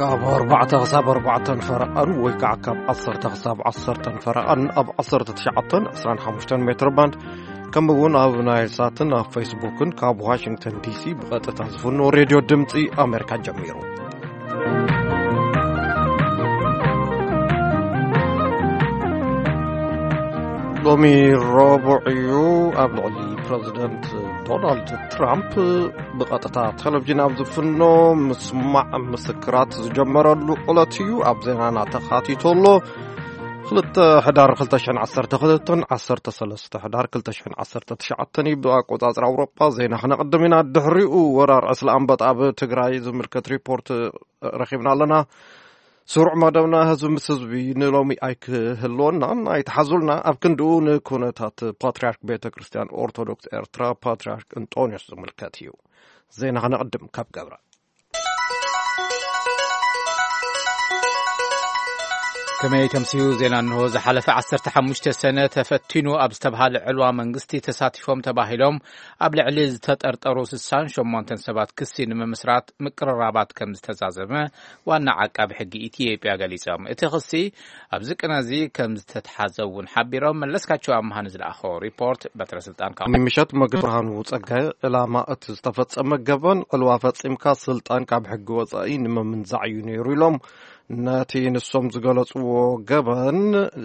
ካብ ኣርባዕተ ክሳብ ኣርባዕተን ፈረቓን ወይ ከዓ ካብ ዓሰርተ ክሳብ ዓሰርተን ፈረቓን ኣብ ዓሰርተ ትሽዓተን ዕስራን ሓሙሽተን ሜትር ባንድ፣ ከምኡ እውን ኣብ ናይል ሳትን ኣብ ፌስቡክን ካብ ዋሽንግተን ዲሲ ብቐጥታ ዝፍኖ ሬድዮ ድምፂ ኣሜሪካ ጀሚሩ። ሎሚ ረቡዕ እዩ። ኣብ ልዕሊ ፕረዚደንት ዶናልድ ትራምፕ ብቐጥታ ቴሌቪዥን ኣብ ዝፍኖ ምስማዕ ምስክራት ዝጀመረሉ ዕለት እዩ። ኣብ ዜናና ተኻቲቱ ኣሎ። ክልተ ሕዳር ክልተ ሽሕን ዓሰርተ ክልተን፣ ዓሰርተ ሰለስተ ሕዳር ክልተ ሽሕን ዓሰርተ ትሽዓተን እዩ ብኣቆጻጽራ ኣውሮጳ። ዜና ክነቕድም ኢና። ድሕሪኡ ወራር ዕስለ ኣንበጣ ኣብ ትግራይ ዝምልከት ሪፖርት ረኺብና ኣለና። ስሩዕ መደብና ህዝቢ ምስ ህዝቢ ንሎሚ ኣይክህልወናን፣ ኣይትሓዙልና። ኣብ ክንድኡ ንኩነታት ፓትርያርክ ቤተ ክርስቲያን ኦርቶዶክስ ኤርትራ ፓትርያርክ እንጦንዮስ ዝምልከት እዩ። ዜና ክነቕድም ካብ ገብረ። ከመይ ተምስዩ ዜና እንሆ። ዝሓለፈ ዓሰርተ ሓሙሽተ ሰነ ተፈቲኑ ኣብ ዝተብሃለ ዕልዋ መንግስቲ ተሳቲፎም ተባሂሎም ኣብ ልዕሊ ዝተጠርጠሩ ስሳን ሸሞንተን ሰባት ክሲ ንምምስራት ምቅርራባት ከም ዝተዛዘመ ዋና ዓቃቢ ሕጊ ኢትዮጵያ ገሊጾም። እቲ ክሲ ኣብዚ ቅነ እዚ ከም ዝተትሓዘ እውን ሓቢሮም። መለስካቸው ኣምሃ ንዝለኣኾ ሪፖርት በትረ ስልጣን ካብ ምሸት መግቢ ብርሃኑ ጸጋይ ዕላማ እቲ ዝተፈጸመ ገበን ዕልዋ ፈጺምካ ስልጣን ካብ ሕጊ ወጻኢ ንምምንዛዕ እዩ ነይሩ ኢሎም። ነቲ ንሶም ዝገለጽዎ ገበን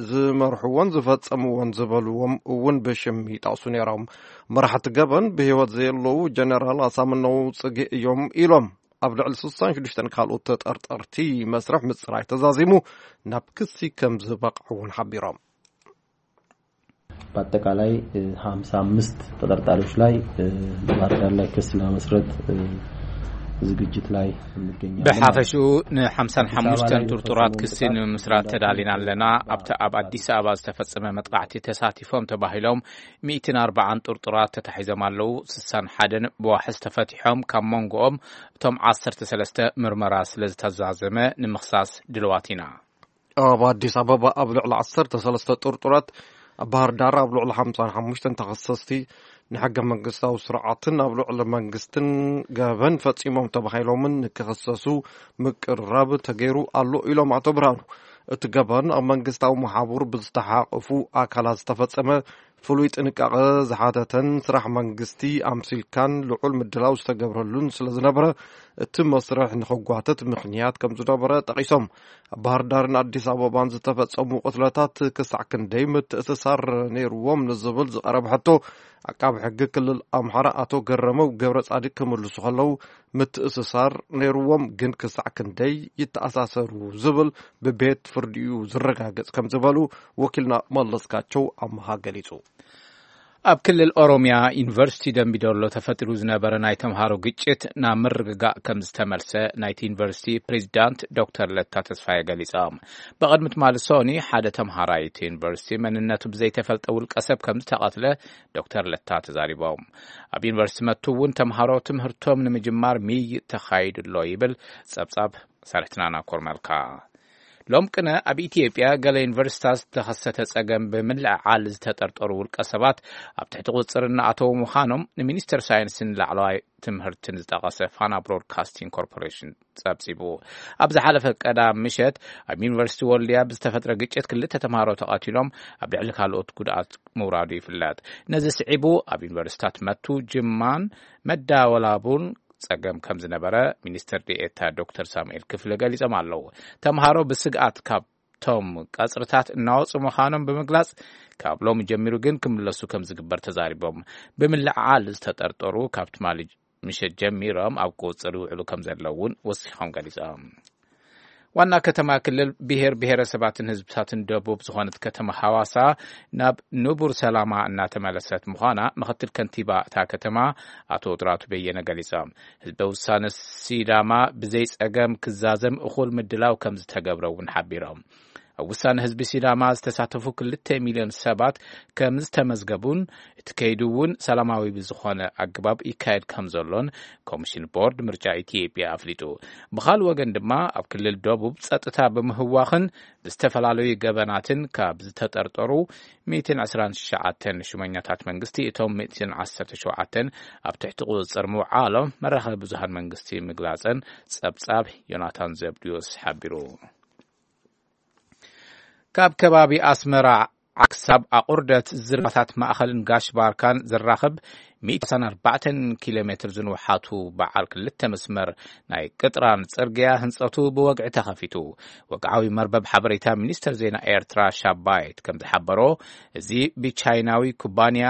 ዝመርሕዎን ዝፈጸምዎን ዝበልዎም እውን ብሽም ይጠቕሱ ነይሮም። መራሕቲ ገበን ብህይወት ዘየለዉ ጀነራል ኣሳምነው ጽጌ እዮም ኢሎም። ኣብ ልዕሊ ስሳን ሽዱሽተን ካልኦት ተጠርጠርቲ መስርሕ ምጽራይ ተዛዚሙ ናብ ክሲ ከም ዝበቕዐ እውን ሓቢሮም። በአጠቃላይ፣ እ፣ ሃምሳ አምስት ተጠርጣሪዎች ላይ፣ እ፣ ባህር ዳር ላይ ክስ ለመመስረት፣ እ፣ ዝግጅት ላይ እንገኛለን ማለት ነው። ብሓፈሽኡ ንሓምሳን ሓሙሽተን ጥርጡራት ክሲ ንምምስራት ተዳሊና ኣለና። ኣብቲ ኣብ ኣዲስ ኣበባ ዝተፈጸመ መጥቃዕቲ ተሳቲፎም ተባሂሎም ሚእትን ኣርባዓን ጥርጡራት ተታሒዞም ኣለዉ። ስሳን ሓደን ብዋሕስ ተፈቲሖም፣ ካብ መንጎኦም እቶም ዓሰርተ ሰለስተ ምርመራ ስለ ዝተዛዘመ ንምኽሳስ ድልዋት ኢና። ኣብ ኣዲስ ኣበባ ኣብ ልዕሊ ዓሰርተ ሰለስተ ጥርጡራት፣ ኣብ ባህር ዳር ኣብ ልዕሊ ሓምሳን ሓሙሽተን ተኸሰስቲ ንሕገ መንግስታዊ ስርዓትን ኣብ ልዕሊ መንግስትን ገበን ፈጺሞም ተባሂሎምን ንክኽሰሱ ምቅርራብ ተገይሩ ኣሎ ኢሎም ኣቶ ብርሃኑ። እቲ ገበን ኣብ መንግስታዊ መሓቡር ብዝተሓቐፉ ኣካላት ዝተፈጸመ ፍሉይ ጥንቃቐ ዝሓተተን ስራሕ መንግስቲ ኣምሲልካን ልዑል ምድላው ዝተገብረሉን ስለ ዝነበረ፣ እቲ መስርሕ ንኽጓተት ምኽንያት ከም ዝነበረ ጠቒሶም። ኣብ ባህር ዳርን ኣዲስ ኣበባን ዝተፈጸሙ ቅትለታት ክሳዕ ክንደይ ምትእስሳር ነይርዎም ንዝብል ዝቐረበ ሕቶ፣ ዓቃቢ ሕጊ ክልል ኣምሓራ ኣቶ ገረመው ገብረ ጻድቅ ክምልሱ ከለዉ፣ ምትእስሳር ነይርዎም፣ ግን ክሳዕ ክንደይ ይተኣሳሰሩ ዝብል ብቤት ፍርዲ'ዩ ዝረጋገጽ ከም ዝበሉ ወኪልና መለስካቸው ኣምሃ ገሊጹ። ኣብ ክልል ኦሮሚያ ዩኒቨርሲቲ ደምቢዶሎ ተፈጢሩ ዝነበረ ናይ ተምሃሮ ግጭት ናብ ምርግጋእ ከም ዝተመልሰ ናይቲ ዩኒቨርሲቲ ፕሬዚዳንት ዶክተር ለታ ተስፋዬ ገሊጾም። ብቕድሚ ትማሊ ሶኒ ሓደ ተምሃራይ እቲ ዩኒቨርሲቲ መንነቱ ብዘይተፈልጠ ውልቀ ሰብ ከም ዝተቐትለ ዶክተር ለታ ተዛሪቦም። ኣብ ዩኒቨርሲቲ መቱ እውን ተምሃሮ ትምህርቶም ንምጅማር ምይይጥ ተኻይዱ ኣሎ ይብል ጸብጻብ መሳርሕትና ናኮር መልካ። ሎም ቅነ ኣብ ኢትዮጵያ ገለ ዩኒቨርሲታት ዝተኸሰተ ጸገም ብምልዕዓል ዝተጠርጠሩ ውልቀ ሰባት ኣብ ትሕቲ ቁጽጽር እናኣተዉ ምዃኖም ንሚኒስተር ሳይንስን ላዕለዋይ ትምህርትን ዝጠቐሰ ፋና ብሮድካስቲንግ ኮርፖሬሽን ጸብጺቡ። ኣብ ዝሓለፈ ቀዳም ምሸት ኣብ ዩኒቨርሲቲ ወልድያ ብዝተፈጥረ ግጭት ክልተ ተምሃሮ ተቐቲሎም፣ ኣብ ልዕሊ ካልኦት ጉድኣት ምውራዱ ይፍለጥ። ነዚ ስዒቡ ኣብ ዩኒቨርሲታት መቱ፣ ጅማን መዳወላቡን ጸገም ከም ዝነበረ ሚኒስትር ዴኤታ ዶክተር ሳሙኤል ክፍለ ገሊጾም ኣለዉ። ተምሃሮ ብስግኣት ካብቶም ቀጽርታት እናወጹ ምዃኖም ብምግላጽ፣ ካብ ሎሚ ጀሚሩ ግን ክምለሱ ከም ዝግበር ተዛሪቦም። ብምልዕዓል ዝተጠርጠሩ ካብ ትማሊ ምሸት ጀሚሮም ኣብ ቁጽሪ ይውዕሉ ከም ዘለዉ እውን ወሲኾም ገሊጾም። ዋና ከተማ ክልል ብሔር ብሔረሰባትን ህዝብታትን ደቡብ ዝኾነት ከተማ ሃዋሳ ናብ ንቡር ሰላማ እናተመለሰት ምዃና ምኽትል ከንቲባ እታ ከተማ ኣቶ ጥራቱ በየነ ገሊጾም። ህዝበ ውሳነ ሲዳማ ብዘይ ጸገም ክዛዘም እኹል ምድላው ከም ዝተገብረ እውን ሓቢሮም። ኣብ ውሳነ ህዝቢ ሲዳማ ዝተሳተፉ ክልተ ሚልዮን ሰባት ከም ዝተመዝገቡን እቲ ከይዱ እውን ሰላማዊ ብዝኾነ ኣገባብ ይካየድ ከም ዘሎን ኮሚሽን ቦርድ ምርጫ ኢትዮጵያ ኣፍሊጡ። ብኻልእ ወገን ድማ ኣብ ክልል ደቡብ ጸጥታ ብምህዋኽን ብዝተፈላለዩ ገበናትን ካብ ዝተጠርጠሩ ሚእትን ዕስራን ትሽዓተን ሹመኛታት መንግስቲ እቶም ሚእትን ዓሰርተ ሸውዓተን ኣብ ትሕቲ ቁጽጽር ምውዓሎም መራኸቢ ብዙሃን መንግስቲ ምግላጸን ጸብጻብ ዮናታን ዘብድዮስ ሓቢሩ። ካብ ከባቢ ኣስመራ ክሳብ ኣቑርደት ዝርጋታት ማእኸልን ጋሽ ባርካን ዝራኸብ ሚእቲ ሰላሳን ኣርባዕተን ኪሎ ሜትር ዝንውሓቱ በዓል ክልተ መስመር ናይ ቅጥራን ጽርግያ ህንጸቱ ብወግዒ ተኸፊቱ። ወግዓዊ መርበብ ሓበሬታ ሚኒስተር ዜና ኤርትራ ሻባይት ከም ዝሓበሮ፣ እዚ ብቻይናዊ ኩባንያ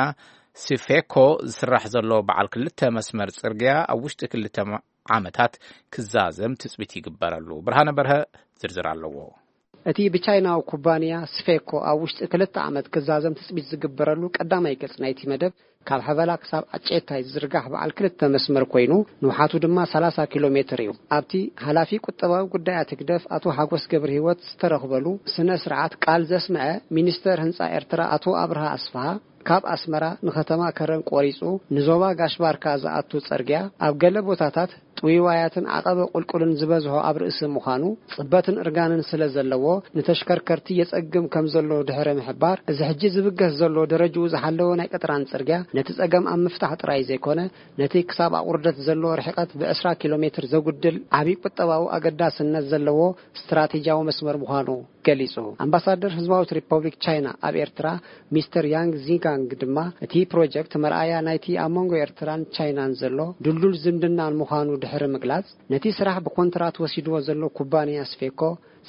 ሲፌኮ ዝስራሕ ዘሎ በዓል ክልተ መስመር ጽርግያ ኣብ ውሽጢ ክልተ ዓመታት ክዛዘም ትጽቢት ይግበረሉ። ብርሃነ በርሀ ዝርዝር ኣለዎ። እቲ ብቻይናዊ ኩባንያ ስፌኮ ኣብ ውሽጢ ክልተ ዓመት ክዛዘም ትጽቢት ዝግበረሉ ቀዳማይ ገጽ ናይቲ መደብ፣ ካብ ሐበላ ክሳብ ኣጨታይ ዝዝርጋሕ በዓል ክልተ መስመር ኮይኑ፣ ንውሓቱ ድማ ሰላሳ ኪሎ ሜትር እዩ። ኣብቲ ሓላፊ ቁጠባዊ ጉዳያት ህግደፍ ኣቶ ሓጎስ ገብረ ህይወት ዝተረኽበሉ ስነ ስርዓት ቃል ዘስምዐ ሚኒስተር ህንጻ ኤርትራ ኣቶ ኣብርሃ ኣስፍሃ፣ ካብ ኣስመራ ንከተማ ከረን ቆሪጹ ንዞባ ጋሽ ባርካ ዝኣቱ ጸርግያ ኣብ ገለ ቦታታት ጥውይዋያትን ዓቐበ ቁልቁልን ዝበዝሖ ኣብ ርእሲ ምዃኑ፣ ጽበትን እርጋንን ስለ ዘለዎ፣ ንተሽከርከርቲ የጸግም ከም ዘሎ ድሕሪ ምሕባር፣ እዚ ሕጂ ዝብገስ ዘሎ ደረጅኡ ዝሓለወ ናይ ቅጥራን ጽርግያ ነቲ ጸገም ኣብ ምፍታሕ ጥራይ ዘይኮነ፣ ነቲ ክሳብ ኣቑርደት ዘሎ ርሕቀት ብዕስራ ኪሎ ሜትር ዘጉድል ዓቢ ቁጠባዊ ኣገዳስነት ዘለዎ ስትራቴጂያዊ መስመር ምዃኑ ገሊጹ። ኣምባሳደር ህዝባዊት ሪፐብሊክ ቻይና ኣብ ኤርትራ ሚስተር ያንግ ዚጋንግ ድማ፣ እቲ ፕሮጀክት መርኣያ ናይቲ ኣብ መንጎ ኤርትራን ቻይናን ዘሎ ድልዱል ዝምድናን ምዃኑ ድሕሪ ምግላጽ፣ ነቲ ስራሕ ብኮንትራት ወሲድዎ ዘሎ ኩባንያ ስፌኮ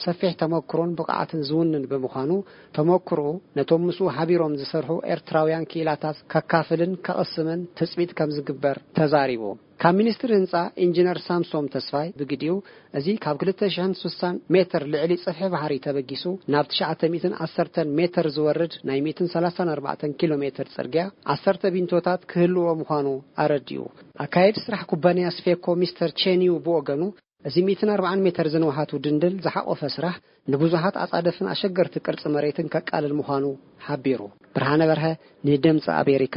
ሰፊሕ ተመክሮን ብቕዓትን ዝውንን ብምዃኑ፣ ተመክሮኡ ነቶም ምስኡ ሓቢሮም ዝሰርሑ ኤርትራውያን ክኢላታት ከካፍልን ከቕስምን ትጽቢት ከም ዝግበር ተዛሪቡ። ካብ ሚኒስትሪ ህንጻ ኢንጂነር ሳምሶም ተስፋይ ብግዲኡ፣ እዚ ካብ ክልተ ሽሕን ስሳን ሜትር ልዕሊ ጽፍሒ ባሕሪ ተበጊሱ ናብ ትሽዓተ ሚእትን ዓሰርተን ሜትር ዝወርድ ናይ ሚእትን ሰላሳን ኣርባዕተን ኪሎ ሜትር ጽርግያ፣ ዓሰርተ ቢንቶታት ክህልዎ ምዃኑ ኣረዲኡ። ኣካየዲ ስራሕ ኩባንያ ስፌኮ ሚስተር ቼን ዩ ብወገኑ፣ እዚ ሚእትን ኣርባዓን ሜትር ዝንውሓቱ ድንድል ዝሓቖፈ ስራሕ ንብዙሓት ኣጻደፍን ኣሸገርቲ ቅርጺ መሬትን ከቃልል ምዃኑ ሓቢሩ። ብርሃነ በርሀ ንድምጺ ኣሜሪካ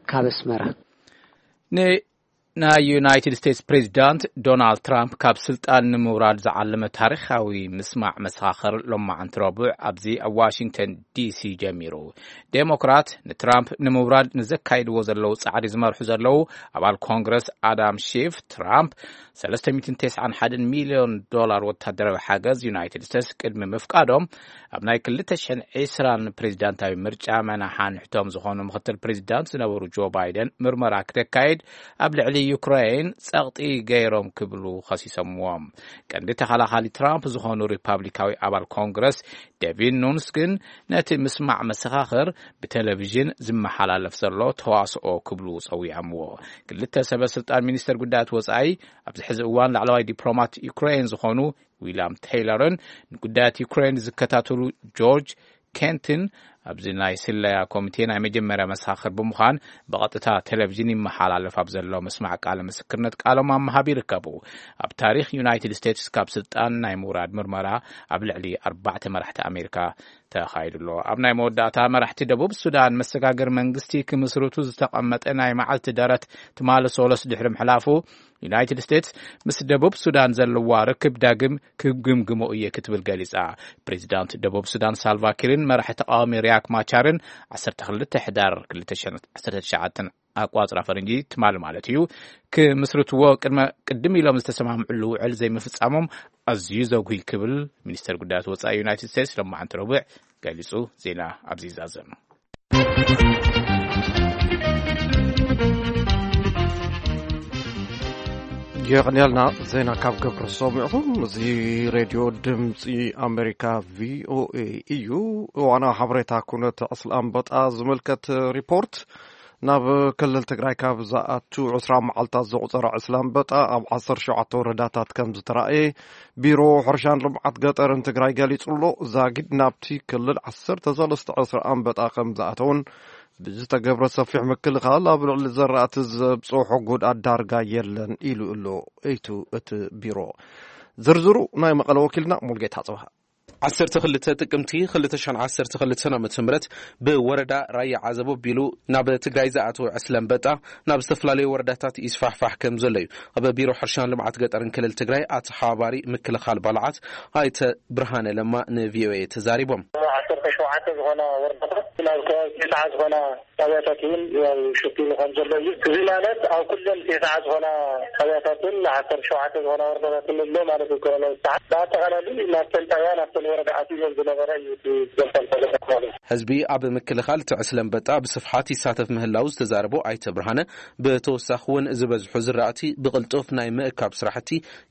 ካብ ኣስመራ። ን-፣ ናይ ዩናይትድ ስቴትስ ፕሬዚዳንት ዶናልድ ትራምፕ ካብ ስልጣን ንምውራድ ዝዓለመ ታሪኻዊ ምስማዕ መሰኻኽር ሎማዓንቲ ረቡዕ ኣብዚ ኣብ ዋሽንግተን ዲሲ ጀሚሩ። ዴሞክራት ንትራምፕ ንምውራድ ንዘካይድዎ ዘለዉ ጻዕሪ ዝመርሑ ዘለዉ ኣባል ኮንግረስ ኣዳም ሺፍ፣ ትራምፕ ሰለስተ ሚእትን ተስዓን ሓደን ሚልዮን ዶላር ወታደራዊ ሓገዝ ዩናይትድ ስቴትስ ቅድሚ ምፍቃዶም፣ ኣብ ናይ ክልተ ሽሕን ዕስራን ፕሬዚዳንታዊ ምርጫ መናሓንሕቶም ዝኾኑ ምኽትል ፕሬዚዳንት ዝነበሩ ጆ ባይደን ምርመራ ክተካይድ ኣብ ልዕሊ ዩክሬን ጸቕጢ ገይሮም ክብሉ ከሲሶምዎም። ቀንዲ ተኸላኻሊ ትራምፕ ዝኾኑ ሪፓብሊካዊ ኣባል ኮንግረስ ዴቪን ኑንስ ግን፣ ነቲ ምስማዕ መሰኻኽር ብቴሌቪዥን ዝመሓላለፍ ዘሎ ተዋስኦ ክብሉ ጸዊዖምዎ። ክልተ ሰበ ስልጣን ሚኒስተር ጉዳያት ወጻኢ ኣብዚ ሕዚ እዋን ላዕለዋይ ዲፕሎማት ዩክሬን ዝኾኑ ዊልያም ቴይለርን ንጉዳያት ዩክሬን ዝከታተሉ ጆርጅ ኬንትን ኣብዚ ናይ ስለያ ኮሚቴ ናይ መጀመርያ መሰኻኽር ብምዃን ብቐጥታ ቴሌቪዥን ይመሓላለፍ ኣብ ዘሎ ምስማዕ ቃለ ምስክርነት ቃሎም ኣብ ምሃብ ይርከቡ። ኣብ ታሪኽ ዩናይትድ ስቴትስ ካብ ስልጣን ናይ ምውራድ ምርመራ ኣብ ልዕሊ ኣርባዕተ መራሕቲ ኣሜሪካ ተኻይዱ ኣሎ። ኣብ ናይ መወዳእታ፣ መራሕቲ ደቡብ ሱዳን መሰጋገሪ መንግስቲ ክምስርቱ ዝተቐመጠ ናይ መዓልቲ ደረት ትማሊ ሶለስ ድሕሪ ምሕላፉ፣ ዩናይትድ ስቴትስ ምስ ደቡብ ሱዳን ዘለዋ ርክብ ዳግም ክግምግሞ እየ ክትብል ገሊጻ። ፕሬዚዳንት ደቡብ ሱዳን ሳልቫ ኪርን መራሒ ተቃዋሚ ሪያክ ማቻርን ዓሰርተ ክልተ ሕዳር ክልተ ሽሕን ዓሰርተ ትሽዓተን ኣቋጽራ ፈረንጂ ትማሊ ማለት እዩ፣ ክምስርትዎ ቅድመ፣ ቅድም ኢሎም ዝተሰማምዕሉ ውዕል ዘይምፍጻሞም ኣዝዩ ዘጉሂ ክብል ሚኒስተር ጉዳያት ወጻኢ ዩናይትድ ስቴትስ ሎማዓንቲ ረቡዕ ገሊጹ። ዜና ኣብዚ ይዛዘም። የቐንያልና ዜና ካብ ገብረ ሰሚዕኹም። እዚ ሬድዮ ድምፂ ኣሜሪካ ቪኦኤ እዩ። እዋናዊ ሓበሬታ ኩነት ዕስለ ኣንበጣ ዝምልከት ሪፖርት። ናብ ክልል ትግራይ ካብ ዝኣቱ ዕስራ መዓልታት ዘቑፀረ ዕስለ ኣንበጣ ኣብ ዓሰርተ ሸውዓተ ወረዳታት ከም ዝተራእየ ቢሮ ሕርሻን ልምዓት ገጠርን ትግራይ ገሊጹ ኣሎ። ዛጊድ ናብቲ ክልል ዓሰርተ ሰለስተ ዕስለ ኣንበጣ ከም ዝኣተውን ብዝተገብረ ሰፊሕ ምክልኻል ኣብ ልዕሊ ዘራእቲ ዘብፅሖ ጉድኣት ዳርጋ የለን ኢሉ ኣሎ። እቱ እቲ ቢሮ ዝርዝሩ ናይ መቐለ ወኪልና ሙልጌታ ጽብሃ። ዓሰርተ ክልተ ጥቅምቲ ክልተ ሽሕን ዓሰርተ ክልተን ዓመተ ምህረት ብወረዳ ራያ ዓዘቦ ኣቢሉ ናብ ትግራይ ዝኣተወ ዕስለ ኣንበጣ ናብ ዝተፈላለዩ ወረዳታት ይስፋሕፋሕ ከም ዘሎ እዩ ኣብ ቢሮ ሕርሻን ልምዓት ገጠርን ክልል ትግራይ ኣተሓባባሪ ምክልኻል ባልዓት ኣይተ ብርሃነ ለማ ን ቪ ኦ ኤ ተዛሪቦም። ዓሰርተ ሸውዓተ ዝኾና ወረዳታት ናብ ከባቢ ተስዓ ዝኾና ጣብያታት እውን ያው ሸፊኑ ከም ዘሎ እዩ። እዚ ማለት ኣብ ኩለን ተስዓ ዝኾና ጣብያታትን ዓሰርተ ሸውዓተ ዝኾና ወረዳታትን ኣሎ ማለት እዩ። ኮሮና ተስዓ ብኣጠቓላሊ ናብተን ጣብያ ናብተን ወረዳ ኣትዩ ዝነበረ እዩ እቲ ዘንፈልፈለ ማለት እዩ። ህዝቢ ኣብ ምክልኻል እቲ ዕስለ ኣንበጣ ብስፍሓት ይሳተፍ ምህላው ዝተዛረቡ ኣይተ ብርሃነ፣ ብተወሳኺ እውን ዝበዝሑ ዝራእቲ ብቕልጡፍ ናይ ምእካብ ስራሕቲ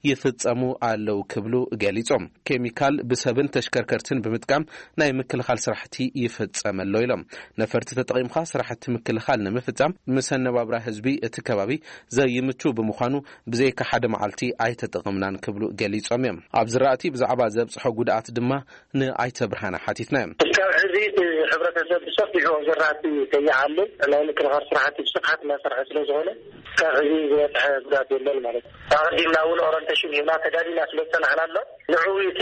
ይፍጸሙ ኣለዉ ክብሉ ገሊጾም። ኬሚካል ብሰብን ተሽከርከርትን ብምጥቃም ናይ ምክልኻል ስራሕቲ ይፍጸም ኣሎ ኢሎም። ነፈርቲ ተጠቒምካ ስራሕቲ ምክልኻል ንምፍጻም ምስ ኣነባብራ ህዝቢ እቲ ከባቢ ዘይምቹ ብምዃኑ ብዘይካ ሓደ መዓልቲ ኣይተጠቐምናን ክብሉ ገሊጾም እዮም። ኣብ ዝራእቲ ብዛዕባ ዘብጽሖ ጉድኣት ድማ ንኣይተ ብርሃነ ሓቲትናዮም። እስካብ ሕዚ እቲ ሕብረተሰብ ብሰፊሑ ኣብ ዘራእቲ ከይዓሉ ናይ ምክልኻል ስራሕቲ ብስፍሓት እናሰርሐ ስለ ዝኾነ እስካብ ሕዚ ዝበፅሐ ጉድኣት የለን ማለት እዩ። ኣቐዲምና እውን ኦረንቴሽን ሂብና ተዳሊና ስለ ዝፀናሕና ኣሎ ንዕኡ እቲ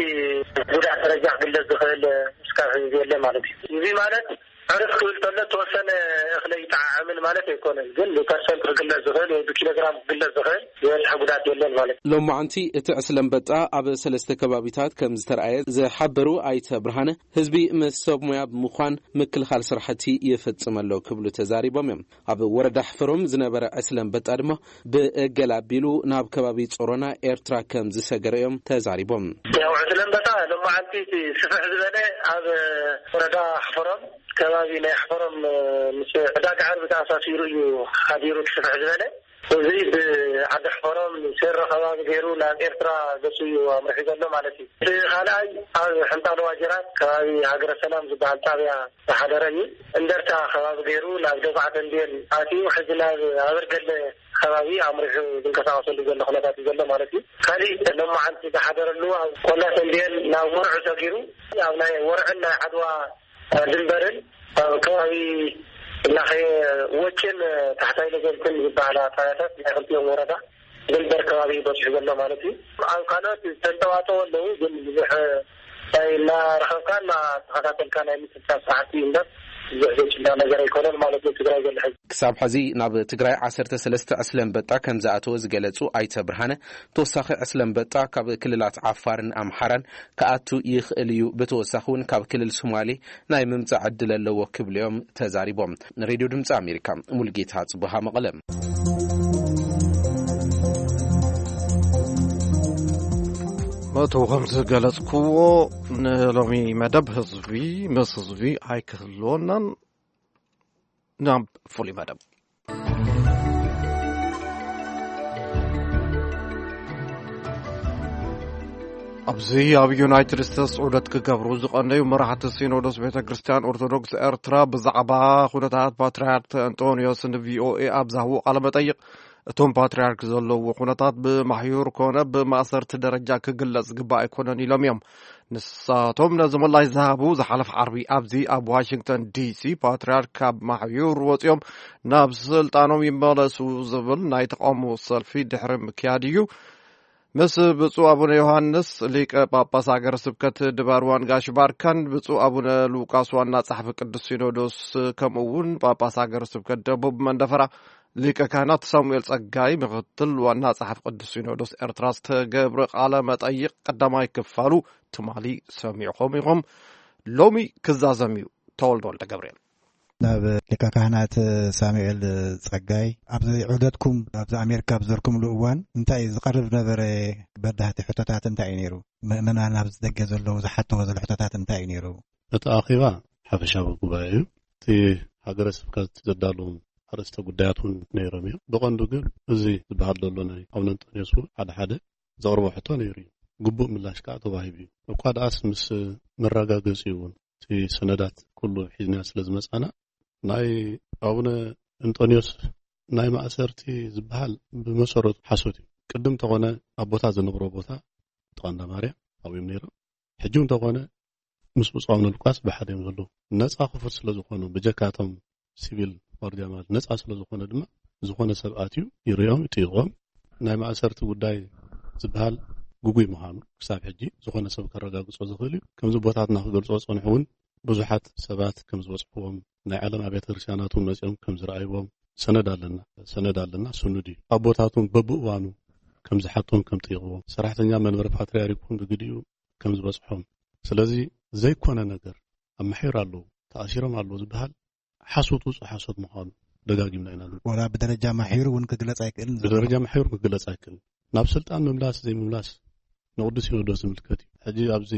ጉድኣት ደረጃ ክግለፅ ዝኽእል እስካብ ሕዚ የለን ማለት እዩ። እዚ ማለት ዕርፍ ክብል ከሎ ተወሰነ እኽለ ይጠዓዕምን ማለት ኣይኮነን፣ ግን ብፐርሰንት ክግለፅ ዝኽእል ወይ ብኪሎግራም ክግለፅ ዝኽእል ዝበፅሐ ጉድኣት የለን ማለት እዩ። ሎማዓንቲ እቲ ዕስለ ኣንበጣ ኣብ ሰለስተ ከባቢታት ከም ዝተረኣየ ዝሓበሩ ኣይተ ብርሃነ፣ ህዝቢ ምስ ሰብ ሞያ ብምዃን ምክልኻል ስራሕቲ ይፍፅም ኣሎ ክብሉ ተዛሪቦም እዮም። ኣብ ወረዳ ሕፈሮም ዝነበረ ዕስለ ኣንበጣ ድማ ብእገል ኣቢሉ ናብ ከባቢ ጾሮና ኤርትራ ከም ዝሰገረ እዮም ተዛሪቦም። ያው ዕስለ ኣንበጣ ሎማዓንቲ እቲ ስፍሕ ዝበለ ኣብ ወረዳ ሕፈሮም ከባቢ ናይ ሕፈሮም ምስ ዕዳጋ ዓርቢ ተኣሳሲሩ እዩ ሓዲሩ እቲ ስፍሕ ዝበለ። እዚ ብዓዲ ሕፈሮም ሴሮ ከባቢ ገይሩ ናብ ኤርትራ ገጹ እዩ ኣምርሑ ዘሎ ማለት እዩ። እቲ ካልኣይ ኣብ ሕንጣሎ ዋጀራት ከባቢ ሃገረ ሰላም ዝበሃል ጣብያ ዝሓደረ እዩ። እንደርታ ከባቢ ገይሩ ናብ ደጉዓ ተንቤን ኣትዩ ሕዚ ናብ ኣበርገለ ከባቢ ኣምሪሑ ዝንቀሳቀሰሉ ዘሎ ኩነታት እዩ ዘሎ ማለት እዩ። ካሊእ ሎማዓንቲ ዝሓደረሉ ኣብ ቆላ ተንቤን ናብ ወርዑ ሰጊሩ ኣብ ናይ ወርዕን ናይ ዓድዋ ድንበርን ኣብ ከባቢ ላኸየ ወጭን ታሕታይ ለገልትን ዝበሃላ ጣብያታት ናይ ክልቲኦም ወረዳ ድንበር ከባቢ በፂሑ ዘሎ ማለት እዩ። ኣብ ካልኦት ዝተንጠባጠቡ ኣለዉ፣ ግን ብዙሕ ናይ እናረኸብካ እናተኸታተልካ ናይ ምትንታን ስራሕቲ እዩ እምበር ብዙሕ ዘጭዳ ነገር ኣይኮነን ማለት እዩ። ትግራይ ዘሎ ሕዚ ክሳብ ሕዚ ናብ ትግራይ ዓሰርተ ሰለስተ ዕስለ ኣንበጣ ከም ዝኣተወ ዝገለጹ ኣይተ ብርሃነ፣ ተወሳኺ ዕስለ ኣንበጣ ካብ ክልላት ዓፋርን ኣምሓራን ክኣቱ ይኽእል እዩ። ብተወሳኺ እውን ካብ ክልል ሶማሌ ናይ ምምጻእ ዕድል ኣለዎ ክብሉ እዮም ተዛሪቦም። ንሬድዮ ድምፂ ኣሜሪካ ሙልጌታ ጽቡሃ መቐለ። መእተው ከም ዝገለጽክዎ ንሎሚ መደብ ህዝቢ ምስ ህዝቢ ኣይክህልወናን ናብ ፍሉይ መደብ። ኣብዚ ኣብ ዩናይትድ ስቴትስ ዑደት ክገብሩ ዝቐነዩ መራሕቲ ሲኖዶስ ቤተ ክርስቲያን ኦርቶዶክስ ኤርትራ ብዛዕባ ኩነታት ፓትርያርክ ኣንጦንዮስ ንቪኦኤ ኣብ ዝሃብዎ ቃለ መጠይቕ፣ እቶም ፓትርያርክ ዘለውዎ ኩነታት ብማሕዩር ኮነ ብማእሰርቲ ደረጃ ክግለጽ ዝግባእ ኣይኮነን ኢሎም እዮም። ንሳቶም ነዚ ምላሽ ዝሃቡ ዝሓለፈ ዓርቢ ኣብዚ ኣብ ዋሽንግተን ዲሲ ፓትርያርክ ካብ ማሕዩር ወጺኦም ናብ ስልጣኖም ይመለሱ ዝብል ናይ ተቃውሞ ሰልፊ ድሕሪ ምክያድ እዩ። ምስ ብፁዕ ኣቡነ ዮሃንስ ሊቀ ጳጳስ ሃገረ ስብከት ድባርዋን ጋሽ ባርካን ብፁዕ ኣቡነ ሉቃስ ዋና ጸሓፊ ቅዱስ ሲኖዶስ ከምኡ እውን ጳጳስ ሃገረ ስብከት ደቡብ መንደፈራ ሊቀ ካህናት ሳሙኤል ጸጋይ ምክትል ዋና ጸሓፊ ቅዱስ ሲኖዶስ ኤርትራ ዝተገብረ ቃለ መጠይቕ ቀዳማይ ክፋሉ ትማሊ ሰሚዕኹም ኢኹም። ሎሚ ክዛዘም እዩ። ተወልደ ወልደ ገብርኤል። ናብ ሊቀ ካህናት ሳሙኤል ጸጋይ፣ ኣብዚ ዑደትኩም ኣብዚ ኣሜሪካ ኣብ ዘርኩምሉ እዋን እንታይ እዩ ዝቐርብ ነበረ? በዳህቲ ሕቶታት እንታይ እዩ ነይሩ? ምእመናን ኣብዚ ደገ ዘለዉ ዝሓትዎ ዘለዉ ሕቶታት እንታይ እዩ ነይሩ? እቲ ኣኼባ ሓፈሻዊ ጉባኤ እዩ። እቲ ሃገረ ስብከት ዘዳለዎም ኣርእስተ ጉዳያት እውን ነይሮም እዮም። ብቐንዱ ግን እዚ ዝበሃል ዘሎ ናይ ኣቡነ እንጦንዮስ እውን ሓደ ሓደ ዘቕርቦ ሕቶ ነይሩ እዩ። ግቡእ ምላሽ ከዓ ተዋሂቡ እዩ። እኳ ደኣስ ምስ መረጋገጺ እውን እቲ ሰነዳት ኩሉ ሒዝና ስለ ዝመጻና፣ ናይ ኣቡነ እንጦንዮስ ናይ ማእሰርቲ ዝበሃል ብመሰረቱ ሓሶት እዩ። ቅድም ተኾነ ኣብ ቦታ ዝነብሮ ቦታ ጥቓ እንዳ ማርያም ኣብኡ እዮም ነይሮም። ሕጂ እውን ተኾነ ምስ ብፁዕ ኣቡነ ሉቃስ ብሓደ እዮም ዘለዉ። ነጻ ክፉት ስለ ዝኾኑ፣ ብጀካቶም ሲቪል ዋርድያ ማለት ነጻ ስለ ዝኾነ ድማ፣ ዝኾነ ሰብ ኣትዩ ይርእዮም፣ ይጥይቖም። ናይ ማእሰርቲ ጉዳይ ዝበሃል ግጉይ ምዃኑ ክሳብ ሕጂ ዝኾነ ሰብ ከረጋግጾ ዝኽእል እዩ። ከምዚ ኣቦታትና ክገልጾ ዝጸንሑ እውን ብዙሓት ሰባት ከም ዝበጽሕዎም፣ ናይ ዓለም ኣብያተ ክርስቲያናት እውን መጺኦም ከም ዝረኣይዎም ሰነድ ኣለና። ሰነድ ኣለና፣ ስኑድ እዩ። ኣቦታት እውን በብእዋኑ ከም ዝሓቶም ከም ጠይቕዎም፣ ሰራሕተኛ መንበረ ፓትርያርክ እውን ብግዲኡ ከም ዝበጽሖም። ስለዚ ዘይኮነ ነገር ኣማሒሩ ኣለዉ፣ ተኣሲሮም ኣለዉ ዝበሃል ሓሶት ውጹእ ሓሶት ምዃኑ ደጋጊምና ኢና ንብል። ወላ ብደረጃ ማሒሩ እውን ክግለጽ ኣይክእልን ዘሎ። ብደረጃ ማሒሩ ክግለጽ ኣይክእልን። ናብ ስልጣን ምምላስ ዘይምምላስ ንቅዱስ ሲኖዶስ ዝምልከት እዩ። ሕጂ ኣብዚ፣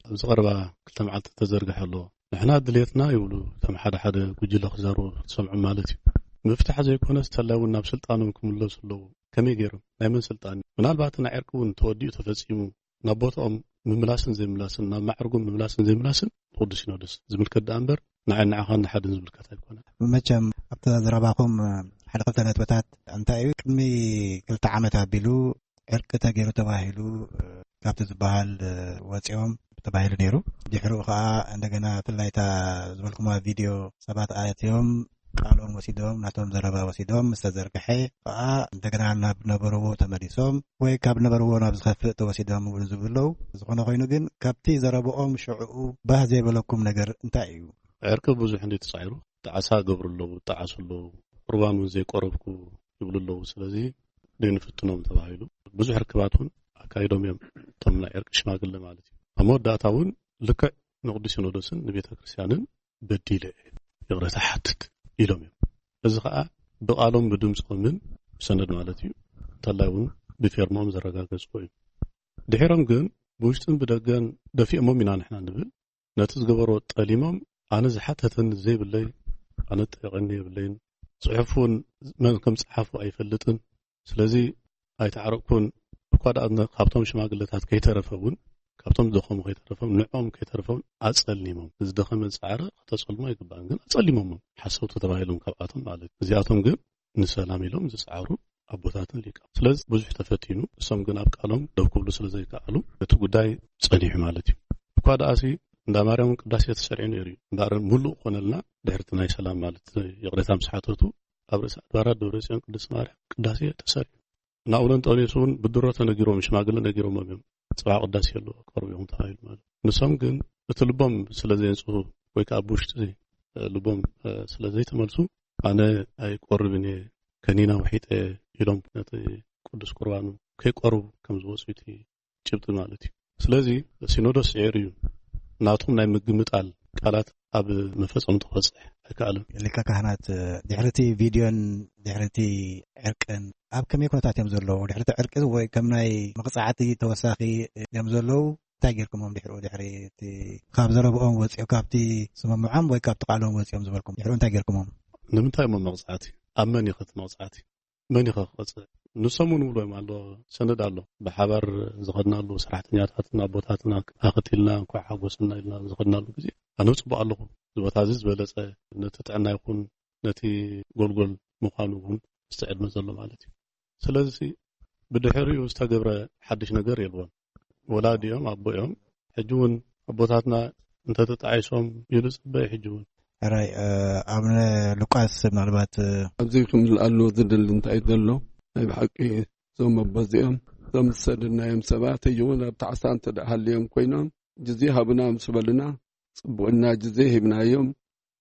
ኣብዚ ቀረባ ክልተ መዓልቲ ተዘርግሐ ኣሎ። ንሕና ድሌትና ይብሉ እቶም ሓደ ሓደ ጉጅለ ክዛረቡ ትሰምዑ ማለት እዩ። ምፍታሕ ዘይኮነስ ተላይ እውን ናብ ስልጣኖም ክምለሱ ኣለዉ። ከመይ ገይሮም? ናይ መን ስልጣን እዩ? ምናልባት ናይ ዕርቂ እውን ተወዲኡ ተፈጺሙ ናብ ቦታኦም ምምላስን ዘይምላስን፣ ናብ ማዕርጎም ምምላስን ዘይምላስን ንቅዱስ ሲኖዶስ ዝምልከት ደኣ እምበር ንዓይ ንዓኻን ንሓድን ዝምልከት ኣይኮነን። መቸም ኣብቲ ዘረባኹም ሓደ ክልተ ነጥብታት እንታይ እዩ፣ ቅድሚ ክልተ ዓመት ኣቢሉ ዕርቂ ተገይሩ ተባሂሉ፣ እ፣ ካብቲ ዝበሃል፣ እ፣ ወፂኦም ተባሂሉ ነይሩ። ድሕሪኡ ከዓ እንደገና ብፍላይ እታ ዝበልኩማ ቪድዮ ሰባት ኣትዮም ቃሎም ወሲዶም፣ ናቶም ዘረባ ወሲዶም ምስ ተዘርግሐ ከዓ እንደገና ናብ ነበርዎ ተመሊሶም ወይ ካብ ነበርዎ ናብ ዝኸፍእ ተወሲዶም እውን ዝብሉ ኣለዉ። ዝኾነ ኮይኑ ግን ካብቲ ዘረብኦም ሽዕኡ ባህ ዘይበለኩም ነገር እንታይ እዩ? ዕርቂ ብዙሕ እንዲ ተጻዒሩ፣ ጣዕሳ ገብሩ ኣለዉ፣ ጣዓሱ ኣለዉ፣ ቁርባን እውን ዘይቆረብኩ ይብሉ ኣለዉ። ስለዚ ደይንፍትኖም ተባሂሉ ብዙሕ ርክባት እውን ኣካይዶም እዮም፣ እቶም ናይ ዕርቂ ሽማግለ ማለት እዩ። ኣብ መወዳእታ እውን ልክዕ ንቅዱስ ሲኖዶስን ንቤተ ክርስቲያንን በዲለ እየ፣ ይቕረታ ሓትት ኢሎም እዮም። እዚ ኸኣ ብቓሎም ብድምፆምን ብሰነድ ማለት እዩ፣ እንተላይ እውን ብፌርሞም ዘረጋገፅዎ እዩ። ድሒሮም ግን ብውሽጥን ብደገን ደፊኦሞም ኢና ንሕና ንብል። ነቲ ዝገበሮ ጠሊሞም፣ ኣነ ዝሓተተኒ ዘይብለይ፣ ኣነ ጠየቐኒ የብለይን፣ ጽሑፍ እውን መን ከም ጸሓፎ ኣይፈልጥን። ስለዚ ኣይተዓረቕኩን። እኳ ደኣ ነ-፣ ካብቶም ሽማግለታት ከይተረፈ እውን፣ ካብቶም ዝደኸሙ ከይተረፈም፣ ንዕኦም ከይተረፈም ኣጸሊሞም። ዝደኸመ ዝጸዓረ ከተጸልሞ ኣይግባእን፣ ግን ኣጸሊሞሞም። ሓሰውቲ ተባሂሎም ካብኣቶም ማለት እዩ። እዚኣቶም ግን ንሰላም ኢሎም ዝጸዓሩ ኣቦታትን ሊቃ። ስለዚ ብዙሕ ተፈቲኑ፣ እሶም ግን ኣብ ቃሎም ደው ክብሉ ስለ ዘይከኣሉ፣ እቲ ጉዳይ ጸኒሑ ማለት እዩ። እኳ ደኣሲ እንዳ ማርያም እውን ቅዳሴ ተሰሪዑ ነይሩ እዩ። እምበኣር ምሉእ ኮነልና ድሕርቲ ናይ ሰላም ማለት ይቕሬታ ምስ ሓተቱ፣ ኣብ ርእሰ ኣድባራት ደብረ ጽዮን ቅድስት ማርያም ቅዳሴ ተሰሪዑ። ናኡለንጦንዮስ እውን ብድሮ ተነጊሮም፣ ሽማግለ ነጊሮሞም እዮም። ጽባሕ ቅዳሴ ኣሎ፣ ቀርቡ ኢኹም ተባሂሉ ማለት። ንሶም ግን እቲ ልቦም ስለ ዘየንጽሁ ወይ ከዓ ብውሽጢ ልቦም፣ እ፣ ስለ ዘይተመልሱ፣ ኣነ ኣይቆርብን እየ፣ ከኒና ውሒጠ ኢሎም ነቲ ቅዱስ ቁርባኑ ከይቆርቡ ከም ዝወፁ እቲ ጭብጢ ማለት እዩ። ስለዚ ሲኖዶስ ስዒሩ እዩ፣ ናቶም ናይ ምግምጣል ቃላት ኣብ መፈጸምታ ክበጽሕ ኣይከኣለን። ሊቀ ካህናት፣ ድሕሪ እቲ ቪድዮን ድሕሪ እቲ ዕርቅን ኣብ ከመይ ኩነታት እዮም ዘለዉ? ድሕሪ እቲ ዕርቂ ወይ ከም ናይ መቕጻዕቲ ተወሳኺ እዮም ዘለዉ? እንታይ ጌርኩሞም ድሕሪኡ? ድሕሪ እቲ ካብ ዘረብኦም ወጺኦም፣ ካብቲ ስምምዖም ወይ ካብቲ ቃሎም ወጺኦም ዝበልኩም ድሕሪኡ እንታይ ጌርኩሞም? ንምንታይ እሞ መቕጻዕቲ? ኣብ መን እዩ እቲ መቕጻዕቲ? መን እዩ ክቐጽዕ? ንሶም እውን ይብሉ እዮም ኣሎ፣ ሰነድ ኣሎ። ብሓባር ዝኸድናሉ፣ ሰራሕተኛታትን ኣቦታትን ኣክቲልና፣ እንኳዕ ሓጎሰና ኢልና ዝኸድናሉ ግዜ፣ ኣነ ጽቡቕ ኣለኹ። እዚ ቦታ እዚ ዝበለጸ ነቲ ጥዕና ይኹን ነቲ ጎልጎል ምዃኑ እውን ምስቲ ዕድመ ዘሎ ማለት እዩ። ስለዚ ብድሕሪኡ ዝተገብረ ሓድሽ ነገር የልቦን። ወላዲኦም፣ ኣቦኦም፣ ሕጂ እውን ኣቦታትና እንተተጣዒሶም ኢሉ ጽበ፣ ሕጂ እውን። ሕራይ፣ እ፣ ኣቡነ ሉቃስ ምናልባት፣ እ፣ ኣብዚ ክምልኣሉ ዝደሊ እንታይ ዘሎ፣ ናይ ብሓቂ እዞም ኣቦ እዚኦም፣ እዞም ዝሰደድናዮም ሰባት፣ ሕጂ እውን ኣብ ጣዕሳ እንተ ደኣ ሃልዮም ኮይኖም፣ ግዜ ሃቡና ምስ በሉና፣ ጽቡቕና ግዜ ሂብናዮም፣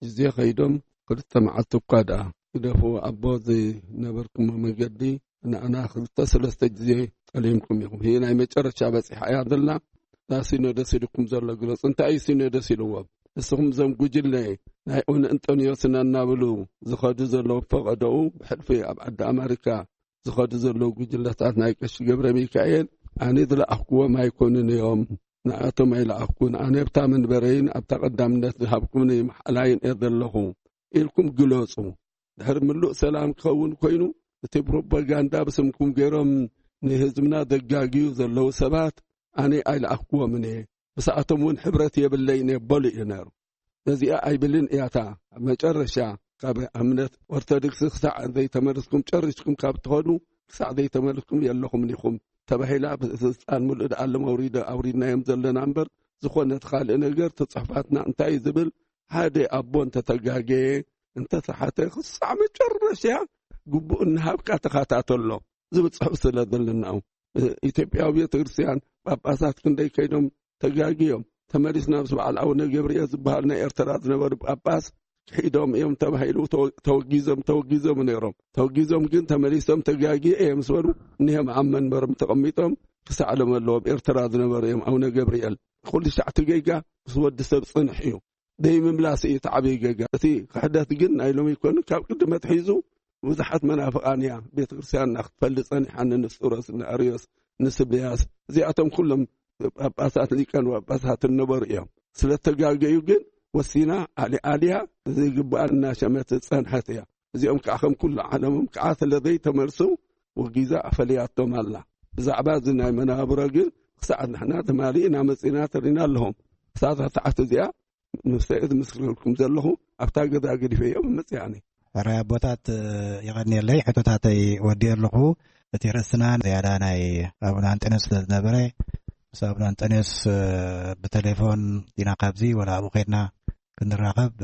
ግዜ ከይዶም፣ ክልተ መዓልቲ እኳ ደኣ ግደፍዎ፣ ኣቦ ዝነበርኩሞ መገዲ ንኣና ክልተ ሰለስተ ግዜ ጠሊምኩም ኢኹም። ይህ ናይ መጨረሻ በጺሓ እያ ዘላ። እዛ ሲኖዶስ ኢልኩም ዘሎ ግለጹ። እንታይ እዩ ሲኖዶስ ኢልዎም? ንስኹም እዞም ጉጅለ ናይ ኡን እንጦንዮስና እናብሉ ዝኸዱ ዘለዉ ፈቐዶኡ ብሕልፊ ኣብ ዓዲ ኣመሪካ ዝኸዱ ዘለዉ ጉጅለታት ናይ ቀሺ ገብረ ሚካኤል ኣነ ዝለኣኽኩዎም ኣይኮኑን እዮም። ንኣቶም ኣይለኣኽኩን። ኣነ ኣብታ መንበረይን ኣብታ ቀዳምነት ዝሃብኩምኒ መሓላይን እየ ዘለኹ ኢልኩም ግለጹ። ድሕሪ ምሉእ ሰላም ክኸውን ኮይኑ፣ እቲ ፕሮፓጋንዳ ብስምኩም ገይሮም ንህዝብና ዘጋግዩ ዘለዉ ሰባት ኣነ ኣይለኣኽኩዎምን እየ። ብሰኣቶም እውን ሕብረት የብለይን እየ በሉ እዩ ነይሩ። ነዚኣ ኣይብልን እያ እታ ኣብ መጨረሻ ካብ እምነት ኦርቶዶክስ ክሳዕ ዘይተመለስኩም፣ ጨሪስኩም ካብ ትኸዱ ክሳዕ ዘይተመለስኩም የለኹምን ኢኹም ተባሂላ፣ ብስልጣን ምሉእ ደኣለም ኣውሪደ-፣ ኣውሪድናዮም ዘለና እምበር፣ ዝኾነ እቲ ካልእ ነገር፣ እቲ ጽሑፋትና እንታይ እዩ ዝብል፣ ሓደ ኣቦ እንተተጋገየ፣ እንተተሓተ፣ ክሳዕ መጨረሻ ግቡእ እናሃብካ ተኸታተሎ ዝብል ጽሑፍ ስለ ዘለናኡ። ኢትዮጵያዊ ቤተክርስትያን ጳጳሳት ክንደይ ከይዶም ተጋግዮም ተመሊስና ምስ በዓል ኣቡነ ገብርኤል ዝበሃሉ ናይ ኤርትራ ዝነበሩ ጳጳስ ክሒዶም እዮም ተባሂሉ ተወ- ተወጊዞም ተወጊዞም ነይሮም። ተወጊዞም ግን ተመሊሶም ተጋግየ እዮም ምስ በሉ እኒሆም ኣብ መንበሮም ተቐሚጦም ክሳዕሎም ኣለዎም። ኤርትራ ዝነበሩ እዮም ኣቡነ ገብርኤል። ኩሉ ሻዕ እቲ ጌጋ ምስ ወዲ ሰብ ጽንሕ እዩ። ደይ ምምላስ እዩ እቲ ዓብዪ ጌጋ። እቲ ክሕደት ግን ናይ ሎሚ ይኮኑ ካብ ቅድመ ኣትሒዙ ብዙሓት መናፍቓን እያ ቤተ ክርስቲያንና ክትፈልጥ ጸኒሓ። ንንስጥሮስ፣ ንኣርዮስ፣ ንስብያስ እዚኣቶም ኩሎም ጳጳሳት ሊቀን ጳጳሳት ነበሩ እዮም። ስለ ተጋገዩ ግን ወሲና ኣሊ ኣልያ ዘይግባኣ እናሸመት ዝጸንሐት እያ። እዚኦም ከዓ ከም ኩሉ ዓለሞም ከዓ ስለ ዘይተመልሱ ወጊዛ ኣፈልያቶም ኣላ። ብዛዕባ እዚ ናይ መናብሮ ግን ክሳዕ ንሕና ትማሊ ኢና መጺና ተሪና ኣለኹም። ክሳብ ታሕቲ እዚኣ ንሰኤ ዝምስክረልኩም ዘለኹ ኣብታ ገዛ ገዲፈ እዮም መጽያኒ። ሕራይ ኣቦታት፣ የቐንየለይ። ሕቶታተይ ወዲኦ ኣለኹ። እቲ ርእስና ዝያዳ ናይ ኣቡነ ኣንጠንዮስ ስለ ዝነበረ ምስ ኣቡነ ኣንጠንዮስ ብቴሌፎን ኢና ካብዚ ወላ ኣብኡ ከድና ክንራኸብ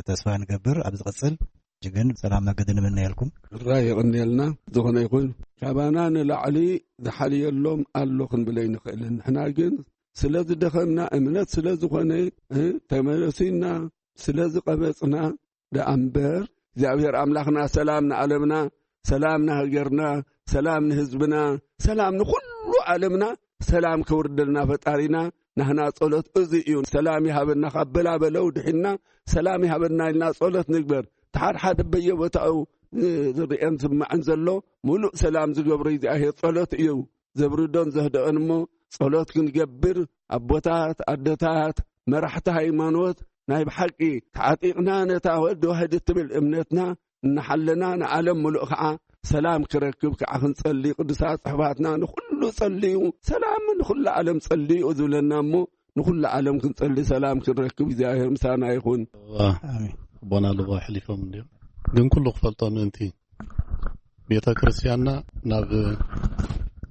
ተስፋ ንገብር። ኣብ ዝቕጽል እጅግን ሰላም መገዲ ንምነየልኩም። ሕራይ የቐንየልና። ዝኾነ ይኹን ካባና ንላዕሊ ዝሓልየሎም ኣሎ ክንብል ኣይንኽእልን። ንሕና ግን ስለ ዝደኸምና እምነት ስለ ዝኾነ ተመለሲና ስለ ዝቐበጽና ደኣ እምበር እግዚኣብሔር ኣምላኽና ሰላም ንዓለምና፣ ሰላም ንሃገርና፣ ሰላም ንህዝብና፣ ሰላም ንኹሉ ዓለምና ሰላም ከውርደልና ፈጣሪና ናህና ጸሎት እዚ እዩ። ሰላም ይሃበና ካብ በላበለው ድሒና ሰላም ይሃበና ኢልና ጸሎት ንግበር። ተሓድሓደ በየቦታኡ ዝርእን ዝማዕን ዘሎ ሙሉእ ሰላም ዝገብሮ እግዚኣብሔር ጸሎት እዩ። ዘብርዶን ዘህደኦን እሞ ጸሎት ክንገብር ኣቦታት ኣደታት መራሕቲ ሃይማኖት ናይ ብሓቂ ተዓጢቕና ነታ ወዲ ዋህድ እትብል እምነትና እናሓለና ንዓለም ሙሉእ ከዓ ሰላም ክረክብ ከዓ ክንጸሊ ቅዱሳት ጽሕፋትና ንኹሉ ጸልዩ ሰላም ንኹሉ ዓለም ጸልዩ ዝብለና እሞ ንኹሉ ዓለም ክንጸሊ ሰላም ክንረክብ እግዚኣብሔር ምሳና ይኹን። ኣሜን። ኣቦና ልቦ ኣሕሊፎም እንዲዮም ግን ኩሉ ክፈልጦ ምእንቲ ቤተ ክርስቲያንና ናብ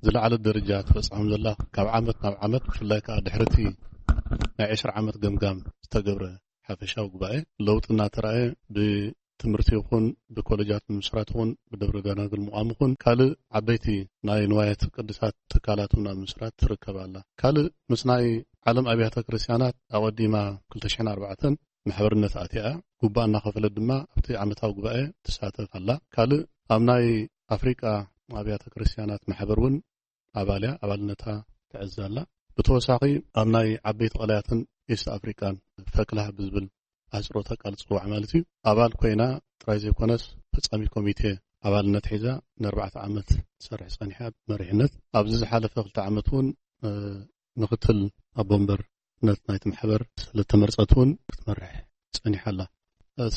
ዝለዓለ ደረጃ ትበጽሖም ዘላ ካብ ዓመት ናብ ዓመት ብፍላይ ከዓ ድሕርቲ ናይ ዕስራ ዓመት ገምጋም ዝተገብረ ሓፈሻዊ ጉባኤ ለውጢ እናተራእየ ብትምህርቲ ይኹን ብኮሌጃት ምምስራት ይኹን ብደብረ ደናግል ምቋም ይኹን ካልእ ዓበይቲ ናይ ንዋየት ቅድሳት ትካላት እውን ኣብ ምስራት ትርከብ ኣላ። ካልእ ምስ ናይ ዓለም ኣብያተ ክርስቲያናት ኣቐዲማ ክልተ ሽሕን ኣርባዕተን ማሕበርነት ኣትያ እያ። ጉባኣ እናኸፈለት ድማ ኣብቲ ዓመታዊ ጉባኤ ትሳተፍ ኣላ። ካልእ ኣብ ናይ ኣፍሪቃ ኣብያተ ክርስቲያናት ማሕበር እውን ኣባል እያ፣ ኣባልነታ ትዕዝ ኣላ። ብተወሳኺ ኣብ ናይ ዓበይቲ ቀላያትን ኢስት ኣፍሪቃን ፈክላህ ብዝብል ኣህፅሮተ ቃል ዝፅዋዕ ማለት እዩ ኣባል ኮይና ጥራይ ዘይኮነስ ፈፃሚ ኮሚቴ ኣባልነት ሒዛ ንኣርባዕተ ዓመት ትሰርሕ ፀኒሓ ብመሪሕነት ኣብዚ ዝሓለፈ ክልተ ዓመት እውን ምክትል ኣቦ ወንበርነት ናይቲ ማሕበር ስለተመርፀት እውን ክትመርሕ ፀኒሓ ኣላ።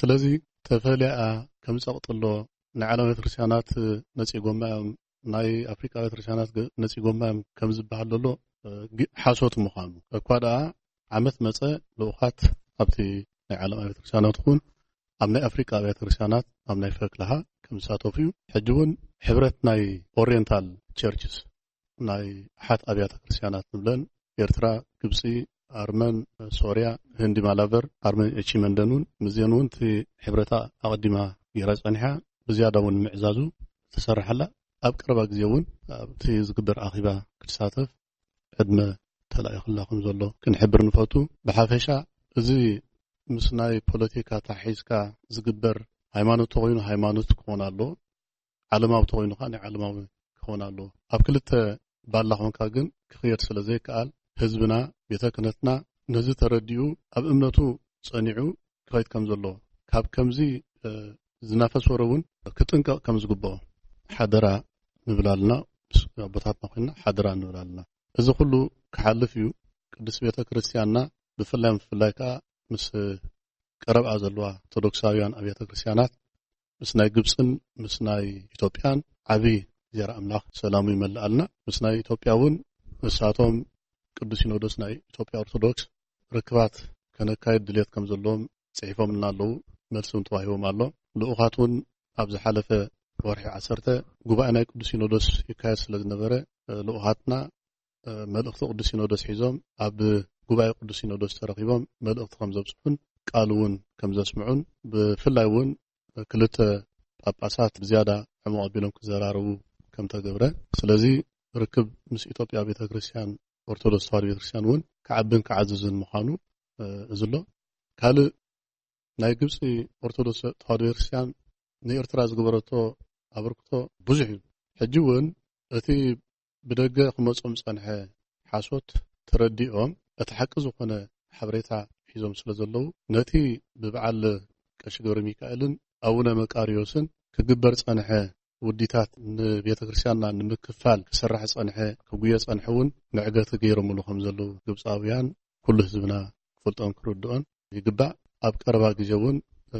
ስለዚ ተፈልያ ከም ፀቕጥሎ ናይ ዓለም ቤተክርስትያናት ነፂጎማ እዮም፣ ናይ ኣፍሪቃ ቤተክርስትያናት ነፂጎማ እዮም ከም ዝበሃል ዘሎ ሓሶት ምዃኑ እኳ ደኣ ዓመት መፀ ልኡኻት ኣብቲ ናይ ዓለም ኣብያተ ክርስትያናት ይኹን ኣብ ናይ ኣፍሪቃ ኣብያተ ክርስትያናት ኣብ ናይ ፈክልሃ ከም ዝሳተፉ እዩ። ሕጂ እውን ሕብረት ናይ ኦሪየንታል ቸርችስ ናይ ኣሓት ኣብያተ ክርስትያናት ንብለን ኤርትራ፣ ግብፂ፣ ኣርመን፣ ሶርያ፣ ህንዲ ማላቨር፣ ኣርመን ኤቺመንደን እውን ምስዚአን እውን እቲ ሕብረታ ኣቐዲማ ገይራ ፀኒሓ ብዝያዳ እውን ምዕዛዙ ተሰርሓላ ኣብ ቀረባ ግዜ እውን ኣብቲ ዝግበር ኣኺባ ክትሳተፍ ዕድመ ተላኢኽላ ከም ዘሎ ክንሕብር ንፈቱ። ብሓፈሻ እዚ ምስ ናይ ፖለቲካ ታሒዝካ ዝግበር ሃይማኖት ተኮይኑ ሃይማኖት ክኾን ኣሎ፣ ዓለማዊ ተኮይኑ ከዓ ናይ ዓለማዊ ክኾን ኣሎ። ኣብ ክልተ ባላ ኮንካ ግን ክኽየድ ስለ ዘይከኣል ህዝብና ቤተ ክህነትና ነዚ ተረዲኡ ኣብ እምነቱ ጸኒዑ ክኸይድ ከም ዘለዎ ካብ ከምዚ ዝናፈስ ወረ እውን ክጥንቀቕ ከም ዝግብኦ ሓደራ ንብል ኣለና። ምስ ኣቦታትና ኮይንና ሓደራ ንብል ኣለና። እዚ ኩሉ ክሓልፍ እዩ። ቅድስት ቤተ ክርስቲያንና ብፍላይ ብፍላይ ከዓ ምስ ቀረብኣ ዘለዋ ኦርቶዶክሳውያን ኣብያተ ክርስቲያናት ምስ ናይ ግብፅን ምስ ናይ ኢትዮጵያን ዓብዪ እግዚኣብሔር ኣምላኽ ሰላሙ ይመልኣልና። ምስ ናይ ኢትዮጵያ እውን ንሳቶም ቅዱስ ሲኖዶስ ናይ ኢትዮጵያ ኦርቶዶክስ ርክባት ከነካይድ ድሌት ከም ዘለዎም ፅሒፎምልና ኣለዉ። መልሲ እውን ተዋሂቦም ኣሎ። ልኡኻት እውን ኣብ ዝሓለፈ ወርሒ ዓሰርተ ጉባኤ ናይ ቅዱስ ሲኖዶስ ይካየድ ስለ ዝነበረ ልኡኻትና መልእኽቲ ቅዱስ ሲኖዶስ ሒዞም ኣብ ጉባኤ ቅዱስ ሲኖዶስ ተረኺቦም መልእኽቲ ከም ዘብፅሑን ቃል እውን ከም ዘስምዑን ብፍላይ እውን ክልተ ጳጳሳት ብዝያዳ ዕሙቕ ኣቢሎም ክዘራረቡ ከም ተገብረ ስለዚ ርክብ ምስ ኢትዮጵያ ቤተክርስትያን፣ ኦርቶዶክስ ተዋህዶ ቤተክርስትያን እውን ክዓብን ክዓዝዝን ምዃኑ፣ እ፣ እዚ ኣሎ። ካልእ ናይ ግብፂ ኦርቶዶክስ ተዋህዶ ቤተክርስትያን ንኤርትራ ዝገበረቶ ኣበርክቶ ብዙሕ እዩ። ሕጂ እውን እቲ ብደገ ክመጾም ዝጸንሐ ሓሶት ተረዲኦም እቲ ሓቂ ዝኾነ ሓበሬታ ሒዞም ስለ ዘለዉ፣ ነቲ ብበዓል ቀሺ ገብረ ሚካኤልን ኣቡነ መቃርዮስን ክግበር ዝጸንሐ ውዲታት ንቤተ ክርስቲያንና ንምክፋል ክሰርሕ ዝጸንሐ፣ ክጉየ ዝጸንሐ እውን መዕገቲ ገይሮምሉ ከም ዘለዉ ግብጻውያን ኩሉ ህዝብና ክፈልጦን ክርድኦን ይግባእ። ኣብ ቀረባ ግዜ እውን፣ እ፣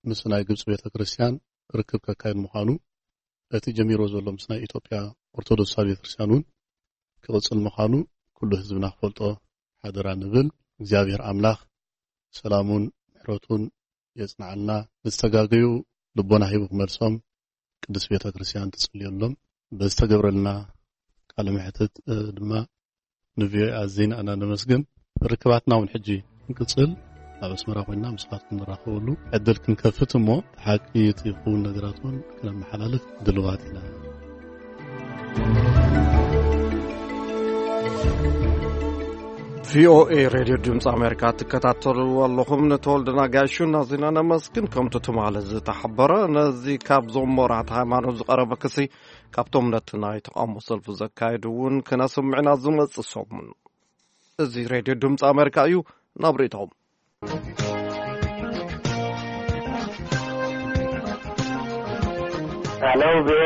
ምስ ናይ ግብጺ ቤተ ክርስቲያን ርክብ ከካየድ ምዃኑ፣ እቲ ጀሚሮ ዘሎ ምስ ናይ ኢትዮጵያ ኦርቶዶክስ ቤተ ክርስቲያን እውን ክቕጽል ምዃኑ ኩሉ ህዝብና ክፈልጦ ሓደራ ንብል። እግዚኣብሔር ኣምላኽ ሰላሙን ምሕረቱን የጽንዓልና። ንዝተጋገዩ ልቦና ሂቡ ክመልሶም ቅድስት ቤተ ክርስቲያን ትጽልየሎም። በዝተገብረልና ቃለ መሕትት፣ እ፣ ድማ ንቪኦኤ ኣዚና ኢና ነመስግን። ርክባትና እውን ሕጂ ክንቅጽል ኣብ ኣስመራ ኮይና ምስኻትኩም ንራኸበሉ ዕድል ክንከፍት እሞ፣ ሓቂ እቲ ክውን ነገራት እውን ክነመሓላልፍ ድልዋት ኢና። ቪኦኤ ሬድዮ ድምፂ ኣሜሪካ ትከታተሉ ኣለኹም። ንተወልደ ናጋሹን ኣዚና ነመስግን። ከምቲ ትማሊ ዝተሓበረ፣ ነዚ ካብዞም መራሕቲ ሃይማኖት ዝቐረበ ክሲ ካብቶም ነቲ ናይ ተቓውሞ ሰልፊ ዘካየዱ እውን ክነስምዕና ዝመጽእ ሰሙን። እዚ ሬድዮ ድምፂ ኣሜሪካ እዩ። ናብ ርእይቶኹም። ኣለው ብኤ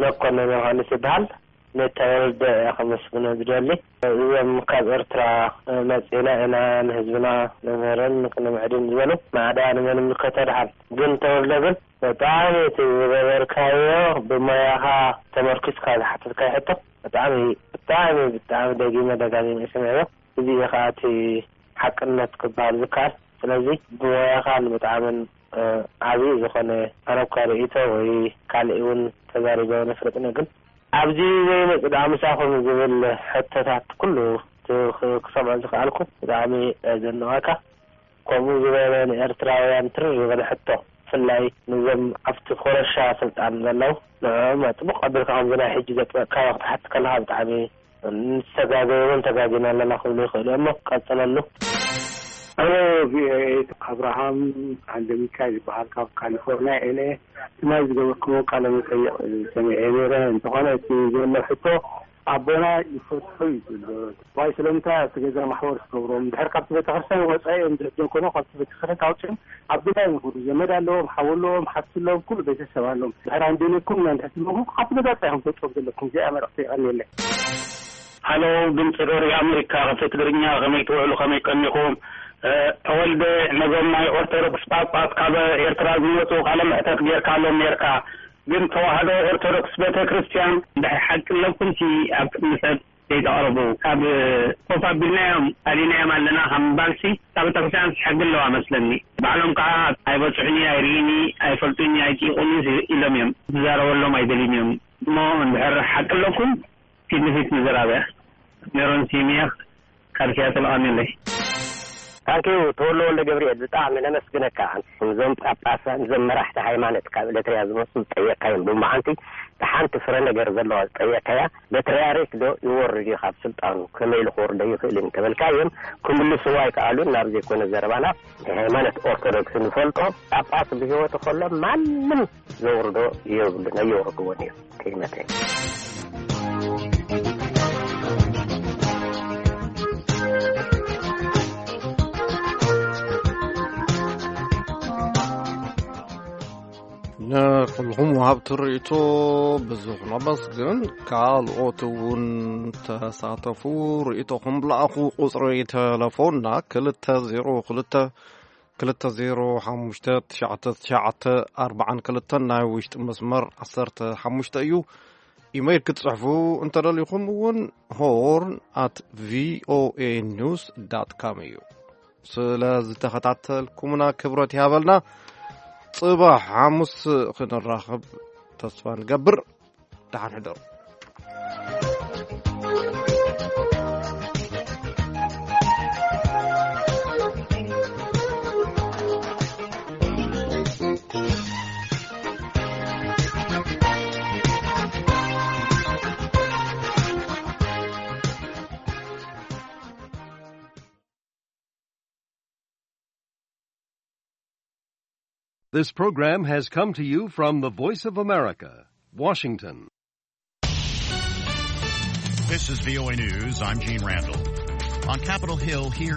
መኮንን ዮሃንስ ይበሃል። ንተወልደ እየ ከመስግኖ ዝደሊ። እዞም ካብ ኤርትራ መጺና ኢና ንህዝብና ነምህርን ክንምዕድን ዝበሉ ማዕዳ ንመን ይምልከቶ ድሓን። ግን ተወልደ ግን ብጣዕሚ እቲ ዝገበርካዮ ብሞያኻ ተመርኪስካ ዝሓተትካዮ ሕቶ ብጣዕሚ፣ ብጣዕሚ፣ ብጣዕሚ ደጊመ ደጋጊመ እየ ሰሚዐዮ። እዚ እዩ ከዓ እቲ ሓቅነት ክበሃል ዝከኣል። ስለዚ ብሞያኻን ብጣዕምን፣ እ፣ ዓብዪ ዝኾነ ኣነ እኳ ርእይቶ ወይ ካልእ እውን ተዛሪበ ኣይፈልጥን እየ፣ ግን ኣብዚ ዘይመጽእ ደኣ ምሳኹም ዝብል ሕቶታት ኩሉ ክ-፣ ክ-፣ ክሰምዖ ዝኸኣልኩ ብጣዕሚ፣ እ፣ ዘነዋካ። ከምኡ ዝበለ ንኤርትራውያን ትርር ዝበለ ሕቶ፣ ብፍላይ ነዞም ኣብቲ ኮረሻ ስልጣን ዘለዉ፣ ንዕኦም ጽቡቕ ኣቢልካ ከምዚ ናይ ሕጂ ዘጥበቕካዮ ክትሓትት ከለኻ ብጣዕሚ ንዝተጋገየ እውን ተጋጊና ኣለና ክብሉ ይኽእሉ እዮም። እሞ ቀጽለሉ። ሄሎ ቪኦኤ፣ ኣብርሃም ሃንደሚካ ይበሃል፣ ካብ ካሊፎርኒያ እየ። ትማሊ ዝገበርኩሞ ቃለ መጠይቕ ሰሚዐ ነይረ። እንተኾነ እቲ ዘሎ ሕቶ ኣቦና ይፈትሑ እዩ ዘሎ። ዋይ ስለምንታይ ኣብቲ ገዛ ማሕበር ትገብሮም? ድሕር ካብቲ ቤተክርስትያን ወፃኢ እዮም ዝሕዞም ኮይኖም ካብቲ ቤተክርስትያን ታውፅኦም ኣብ ገዛ እዮም ዝኸዱ። ዘመድ ኣለዎም፣ ሓው ኣለዎም፣ ሓፍቲ ኣለዎም፣ ኩሉ ቤተሰብ ኣለዎም። ድሕር ኣንደለኩም እና እንድሕር ትመጉ ካብቲ ገዛ ወፃኢ እዮም ተውፅኦም ዘለኩም። እዚኣ መልእኽቲ የቐንየለይ። ሃሎ፣ ድምፂ ሬድዮ ኣሜሪካ፣ ክፍሊ ትግርኛ፣ ከመይ ትውዕሉ፣ ከመይ ቀኒኹም? እ፣ ተወልደ፣ ነዞም ናይ ኦርቶዶክስ ጳጳስ ካብ ኤርትራ ዝመፁ ቃለ መሕተት ጌርካሎም ኔርካ፣ ግን ተዋህዶ ኦርቶዶክስ ቤተ ክርስቲያን እንድሕር ሓቂ ኣለኩምሲ ኣብ ቅድሚ ሰብ ዘይተቕርቡ፣ ካብ ኮፍ ኣቢልናዮም ኣሊናዮም ኣለና ካብ ምባልሲ፣ ካብ ቤተ ክርስቲያን ሕጊ ኣለዋ መስለኒ። ባዕሎም ከዓ ኣይበፅሑኒ፣ ኣይርእዩኒ፣ ኣይፈልጡኒ፣ ኣይጥይቑኒ ኢሎም እዮም። ዝዛረበሎም ኣይደልዩን እዮም። እሞ እንድሕር ሓቂ ኣለኩም ፊት ንፊት ንዘራበያ። ሜሮን ሲሚያ ካብ ሲያትል ኣሜለይ። ታንኪዩ ተወልደ ወልደ ገብርኤል፣ ብጣዕሚ ነመስግነካ። እዞም ጳጳሳት፣ እዞም መራሕቲ ሃይማኖት ካብ ኤርትራ ዝመፁ ዝጠየቅካዮም፣ ብመዓንቲ ሓንቲ ፍረ ነገር ዘለዋ ዝጠየቅካያ፣ በትርያርክ ዶ ይወርድ እዩ ካብ ስልጣኑ፣ ከመይ ኢሉ ክወርዶ ይኽእል እንተበልካዮም፣ ክምልስዎ ኣይከኣሉን። ናብ ዘይኮነ ዘረባና፣ ናይ ሃይማኖት ኦርቶዶክስ ንፈልጦ ጳጳስ ብህይወቱ ከሎ ማንም ዘውርዶ የብሉን፣ ኣየውርድዎን እዮም። ከይመተ ንኹልኹም ወሃብቲ ርእይቶ ብዙሕ ነመስግን። ካልኦት እውን ተሳተፉ፣ ርእይቶኹም ለኣኹ። ቁጽሪ ተለፎንና ክልተ ዜሮ ክልተ፣ ክልተ ዜሮ ሓሙሽተ፣ ትሽዓተ ትሽዓተ ኣርባዓን ክልተን፣ ናይ ውሽጢ መስመር ዓሰርተ ሓሙሽተ እዩ። ኢመይል ክትጽሕፉ እንተደሊኹም እውን ሆርን ኣት ቪኦኤ ኒውስ ዳት ካም እዩ። ስለ ዝተኸታተልኩምና ክብረት ይሃበልና። ጽባሕ ሓሙስ ክንራኸብ ተስፋ ንገብር። ደሓን ሕደሩ። This program has come to you from the Voice of America, Washington. This is V O A News. I'm Gene Randall. On Capitol Hill here